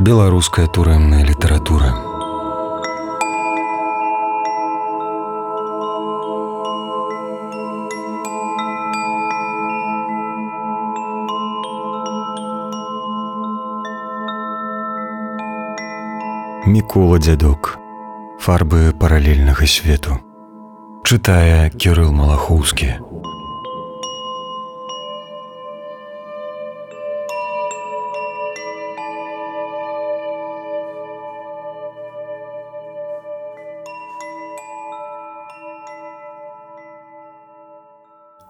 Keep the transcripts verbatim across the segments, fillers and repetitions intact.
Беларуская турэмная літаратура. Мікола Дзядок. Фарбы паралельнага свету. Чытае Кірыл Малахоўскі.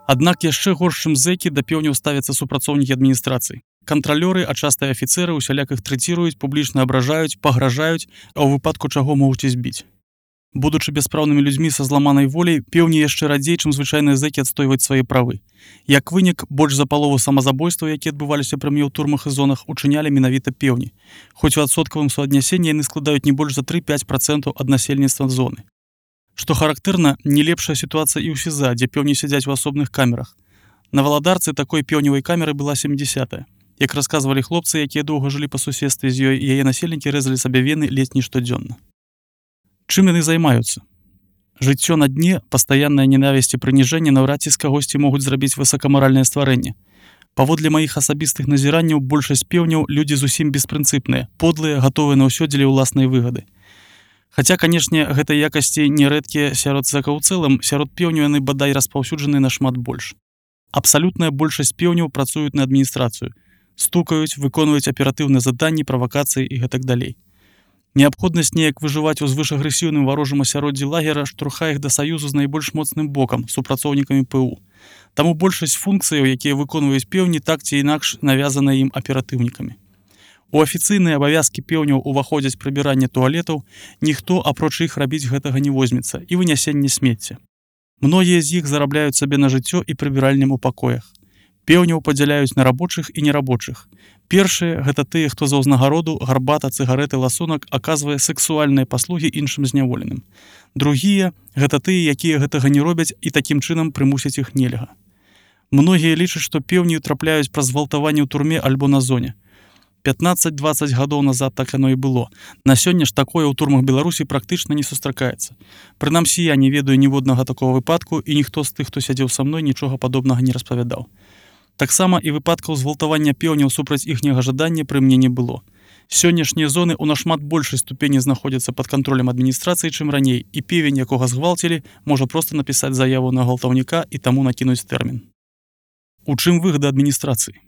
Аднак яшчэ горш, чым зэкі, да пеўняў ставяцца супрацоўнікі адміністрацыі. Кантралёры, а часта і афіцэры усяляк іх трэціруюць, публічна абражаюць, пагражаюць, а ў выпадку чаго могуць і збіць. Будучы бяспраўнымі людзьмі са зламанай воляй, пеўні яшчэ радзей, чым звычайныя зэкі, адстойваць свае правы. Як вынік, больш за палову самазабойстваў, якія адбываліся пры мне ў турмах і зонах, учынялі менавіта пеўні. Хоць у адсоткавым суаднясенні яны складаюць не больш за тры-пяць працэнтаў ад насельніцтва зоны. Што характэрна, не лепшая сітуацыя і ў СІЗА, дзе пеўні сядзяць у асобных камерах. На Валадарцы такой пеўневай камеры была сямдзесятая. Як расказвалі хлопцы, якія доўга жылі па суседстве з ёй, яе насельнікі рэзалі сабе вены ледзь не штодзённа. Чым яны займаюцца? Жыццё на дне, пастаянная ненавісць і прыніжэнне наўрад ці з кагосьці могуць зрабіць высакамаральнае стварэнне. Паводле маіх асабістых назіранняў, большасць пеўняў людзі зусім беспрынцыпныя, подлыя, гатовыя на ўсё дзеля ўласнай выгады. Хаця, канешне, гэтай якасці нерэдкія сярод зэкаў у цэлым, сярод пеўняў яны бадай распаўсюджаны нашмат больш. Абсалютная большасць пеўняў працуюць на адміністрацыю, стукаюць, выконваюць аператыўныя заданні, правакацыі і гэтак далей. Неабходнасць неяк выжываць у звышагрэсіўным варожым асяроддзі лагера штурхае іх да саюзу з найбольш моцным бокам, супрацоўнікамі ПУ. Таму большасць функцыяў, якія выконваюць пеўні, так ці інакш навязаныя ім аператыўнікамі. У афіцыйныя абавязкі пеўняў уваходзяць прыбіранне туалетаў, ніхто апроч іх рабіць гэтага не возьмецца, і вынясенне смецця. Многія з іх зарабляюць сабе на жыццё і прыбіральням у пакоях. Пеўняў падзяляюць на рабочых і нерабочых. Першыя гэта тыя, хто за ўзнагароду, гарбата, цыгарэты, ласунак аказвае сэксуальныя паслугі іншым зняволеным. Другія гэта тыя, якія гэтага не робяць і такім чынам прымусяць іх нельга. Многія лічаць, што пеўні трапляюць праз гвалтаванне ў турме альбо на зоне. пятнаццаць-дваццаць гадоў назад так яно і было. На сёння ж такое ў турмах Беларусі практычна не сустракаецца. Прынамсі, я не ведаю ніводнага такога выпадку, і ніхто з тых, хто сядзеў са мной, нічога падобнага не распавядаў. Таксама і выпадкаў згвалтавання пеўняў супраць іхняга жадання пры мне не было. Сённяшнія зоны ў нашмат большай ступені знаходзяцца пад кантролем адміністрацыі, чым раней, і певень, якога згвалцілі, можа проста напісаць заяву на гвалтаўніка і таму накінуць тэрмін. У чым выгада адміністрацыі?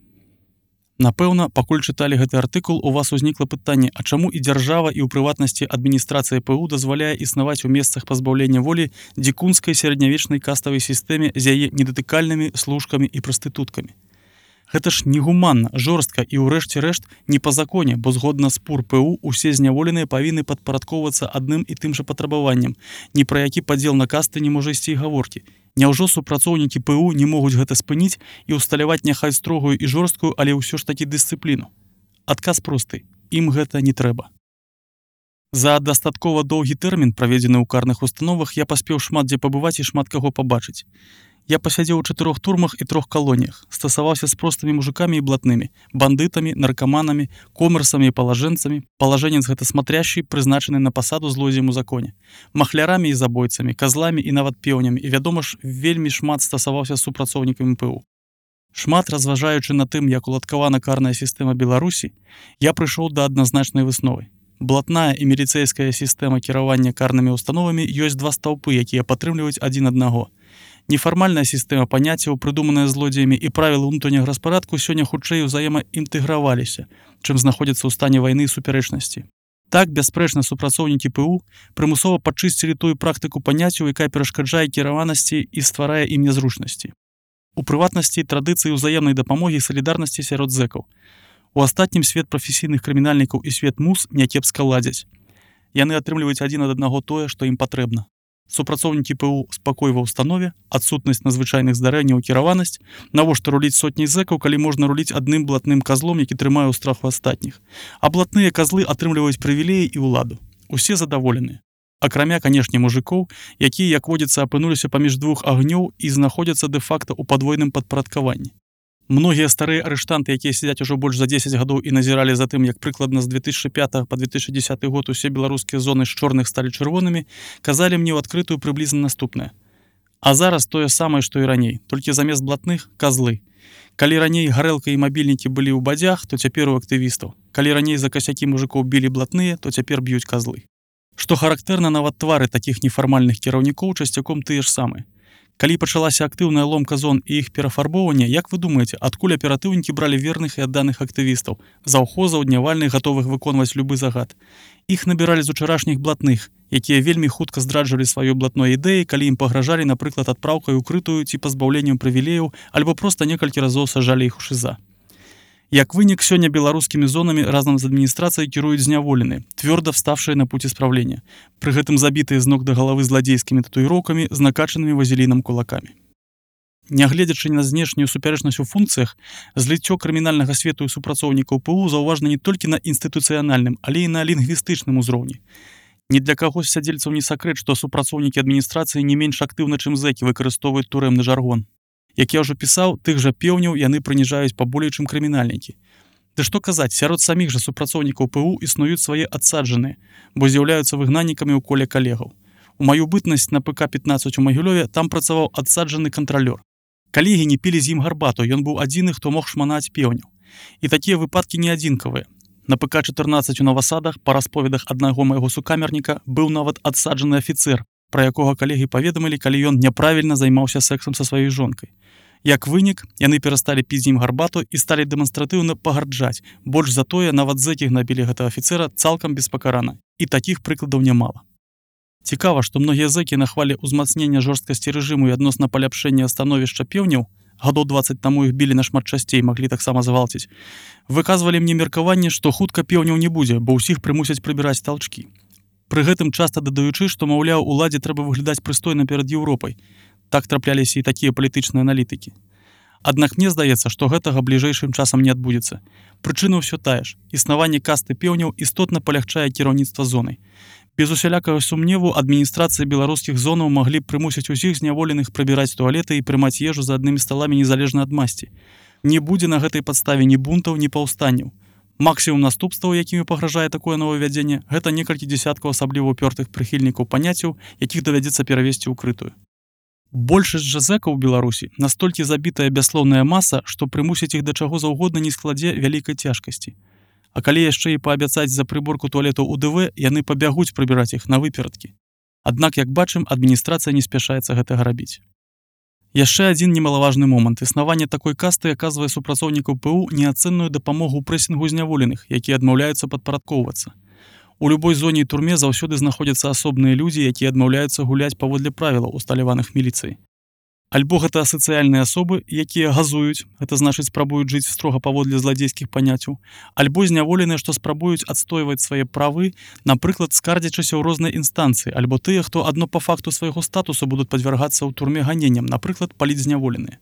Напэўна, пакуль чыталі гэты артыкул, у вас узнікла пытанне, а чаму і дзяржава, і ў прыватнасці адміністрацыя ПУ дазваляе існаваць у месцах пазбаўлення волі дзікунскай сярэднявечнай каставай сістэме з яе недатыкальнымі служкамі і прастытуткамі. Гэта ж негуманна, жорстка і ўрэшце рэшт не па законе, бо згодна з ПУР ПУ усе зняволеныя павінны падпарадкоўвацца адным і тым жа патрабаваннем. Ні пра які падзел на касты не можа ісці і гаворкі. Няўжо супрацоўнікі ПУ не могуць гэта спыніць і ўсталяваць няхай строгую і жорсткую, але ўсё ж такі дысцыпліну? Адказ просты. Ім гэта не трэба. За дастаткова доўгі тэрмін, праведзены ў карных установах, я паспеў шмат дзе пабываць і шмат каго пабачыць. Я пасядзеў у чатырох турмах і трох калоніях, стасаваўся з простымі мужикамі і блатнымі, бандытамі, наркаманамі, комерсамі і палажэнцамі, палажэнец гэта смотрящий, прызначаны на пасаду злодзеем у законе, махлярамі і забойцамі, казламі і нават пеўнямі, і, вядома ж, вельмі шмат стасаваўся з супрацоўнікамі ПУ. Шмат разважаючы на тым, як уладкавана карная сістэма Беларусі, я прыйшоў да адназначнай высновы. Блатная і міліцэйская сістэма кіравання карнымі установамі ёсць два стаўпы, якія падтрымліваюць адзін аднаго. Нефармальная сістэма паняццяў, прыдуманая злодзеямі, і правілы ўнутранняга распарадку сёння хутчэй узаемаінтэграваліся, чым знаходзяцца ў стане вайны і супярэчнасці. Так, бясспрэчна, супрацоўнікі ПУ прымусова падчысцілі тую практыку паняццяў, якая перашкаджае кіраванасці і стварае ім нязручнасці. У прыватнасці традыцыі ўзаемнай дапамогі і салідарнасці сярод зэкаў. У астатнім свет прафесійных крымінальнікаў і свет мус някепска ладзяць. Яны атрымліваюць адзін ад аднаго тое, што ім патрэбна. Супрацоўнікі ПУ спакой ва ўстанове, адсутнасць надзвычайных здарэнняў, кіраванасць, навошта руліць сотні зэкаў, калі можна руліць адным блатным казлом, які трымае ў страху астатніх. А блатныя казлы атрымліваюць прывілеі і ўладу. Усе задаволеныя. Акрамя, канешне, мужикоў, якія, як водзіцца, апынуліся паміж двух агнёў і знаходзяцца дэ-факта ў падвойным падпарадкаванні. Многія старыя арыштанты, якія сядзяць ужо больш за дзесяць гадоў і назіралі за тым, як прыкладна з две тысячи пятага па две тысячи десятый год усе беларускія зоны з чорных сталі чырвонымі, казалі мне ў адкрытую прыблізна наступнае. А зараз тое самае, што і раней, толькі замест блатных – казлы. Калі раней гарэлка і мабільнікі былі ў бадзях, то цяпер у актывістаў. Калі раней за касякі мужикоў білі блатныя, то цяпер б'юць казлы. Што характэрна, нават твары такіх нефармальных кіраўнікоў часцяком тыя ж самыя. Калі пачалася актыўная ломка зон і іх перафарбоўванне, як вы думаеце, адкуль аператыўнікі бралі верных і адданых актывістаў, заўхозаў, днявальных, гатовых выконваць любы загад? Іх набіралі з учарашніх блатных, якія вельмі хутка здраджвалі сваёй блатной ідэі, калі ім пагражалі, напрыклад, адпраўкай укрытую ці пазбаўленнем прывілеяў, альбо проста некалькі разоў сажалі іх у шыза. Як вынік, сёння беларускімі зонамі разам з адміністрацыяй кіруюць зняволеныя, твёрда вставшыя на путь исправлення, пры гэтым забітыя з ног да галавы зладзейскімі татуіроўкамі з накачанымі вазелінам кулакамі. Нягледзячы на знешнюю супярэчнасць у функцыях, зліццё крымінальнага свету і супрацоўнікаў ПУ заўважна не толькі на інстытуцыянальным, але і на лінгвістычным узроўні. Ні для каго з сядзельцаў не сакрэт, што супрацоўнікі адміністрацыі не менш актыўна, чым зэкі, выкарыстоўваюць турэмны жаргон. Як я ўжо пісаў, тых жа пеўняў яны прыніжаюць паболей, чым крымінальнікі. Ды што казаць, сярод саміх жа супрацоўнікаў ПУ існуюць свае адсаджаныя, бо з'яўляюцца выгнаннікамі ў коле калегаў. У маю бытнасць на ПК пятнадцать у Магілёве там працаваў адсаджаны кантралёр. Калегі не пілі з ім гарбату, ён быў адзіны, хто мог шманаць пеўняў. І такія выпадкі не адзінкавыя. На ПК чатырнаццаць у Новасадах, па расповедах аднаго майго сукамерніка, быў нават адсаджаны афіцэр, пра якога калегі паведамілі, калі ён няправільна займаўся сексам са сваёй жонкай. Як вынік, яны перасталі піць з ім гарбату і сталі дэманстратыўна пагарджаць. Больш за тое, нават зэкі гнабілі гэтага афіцэра цалкам беспакарана. І такіх прыкладаў нямала. Цікава, што многія зэкі на хвале ўзмацнення жорсткасці рэжыму і адносна паляпшэння становішча пеўняў, гадоў дваццаць таму іх білі нашмат часцей, маглі таксама завалціць, выказвалі мне меркаванне, што хутка пеўняў не будзе, бо ўсіх прымусяць прыбіраць талчкі. Пры гэтым часта дадаючы, што, маўляў, уладзе трэба выглядаць прыстойна перад Еўропай. Так трапляліся і такія палітычныя аналітыкі. Аднак мне здаецца, што гэтага бліжэйшым часам не адбудзецца. Прычына ўсё тая ж. Існаванне касты пеўняў істотна палягчае кіраўніцтва зонай. Без усялякага сумневу адміністрацыі беларускіх зонаў маглі б прымусіць усіх зняволеных прыбіраць туалеты і прымаць ежу за аднымі сталамі незалежна ад масці. Не будзе на гэтай падставе ні бунтаў, ні паўстанняў. Максімум наступстваў, якімі пагражае такое новаўвядзенне, гэта некалькі дзесяткаў асабліва ўпёртых прыхільнікаў паняццяў, якіх давядзецца перавесці ўкрытую. Большасць жа зэкаў у Беларусі настолькі забітая бяслоўная маса, што прымусіць іх да чаго заўгодна не складзе вялікай цяжкасці. А калі яшчэ і паабяцаць за прыборку туалетаў у ДВ, яны пабягуць прыбіраць іх на выперадкі. Аднак, як бачым, адміністрацыя не спяшаецца гэтага рабіць. Яшчэ адзін немалаважны момант. Існаванне такой касты аказвае супрацоўнікаў ПУ неацэнную дапамогу ў прэсінгу зняволеных, якія адмаўляюцца падпарадкоўвацца. У любой зоне і турме заўсёды знаходзяцца асобныя людзі, якія адмаўляюцца гуляць паводле правілаў, усталяваных міліцыяй. Альбо гэта асацыяльныя асобы, якія газуюць, гэта значыць спрабуюць жыць строга паводле зладзейскіх паняццяў, альбо зняволеныя, што спрабуюць адстойваць свае правы, напрыклад, скардзячыся ў розныя інстанцыі, альбо тыя, хто адно па факту свайго статусу будуць падвяргацца ў турме ганенням, напрыклад, паліць зняволеныя.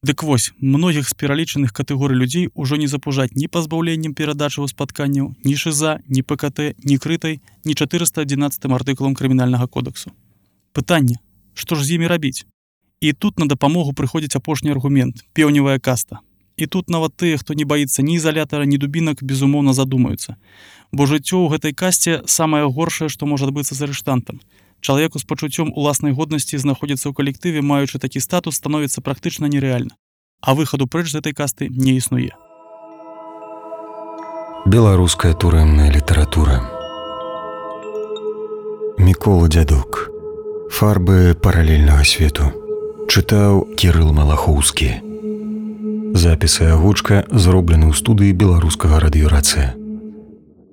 Дык вось, многіх з пералічаных катэгорый людзей ужо не запужаць ні пазбаўленнем перадачы ў спатканняў, ні шыза, ні ПКТ, ні крытай, ні чатырыста адзінаццатым артыкулам крымінальнага кодексу. Пытанне, што ж з імі рабіць? І тут на дапамогу прыходзіць апошні аргумент – пеўневая каста. І тут нават тыя, хто не баіцца ні ізалятара, ні дубінак, безумоўна задумаюцца. Бо жыццё ў гэтай касце самае горшае, што можа адбыцца з арыштантам. Чалавеку з пачуццём уласнай годнасці знаходзіцца ў калектыве, маючы такі статус, становіцца практычна нерэальна. А выхаду прэч з гэтай касты не існуе. Беларуская турэмная літаратура. Мікола Дзядок. Фарбы паралельнага свету. Чытаў Кірыл Малахоўскі. Запіс і агучка зроблены ў студыі беларускага радыёрацыя.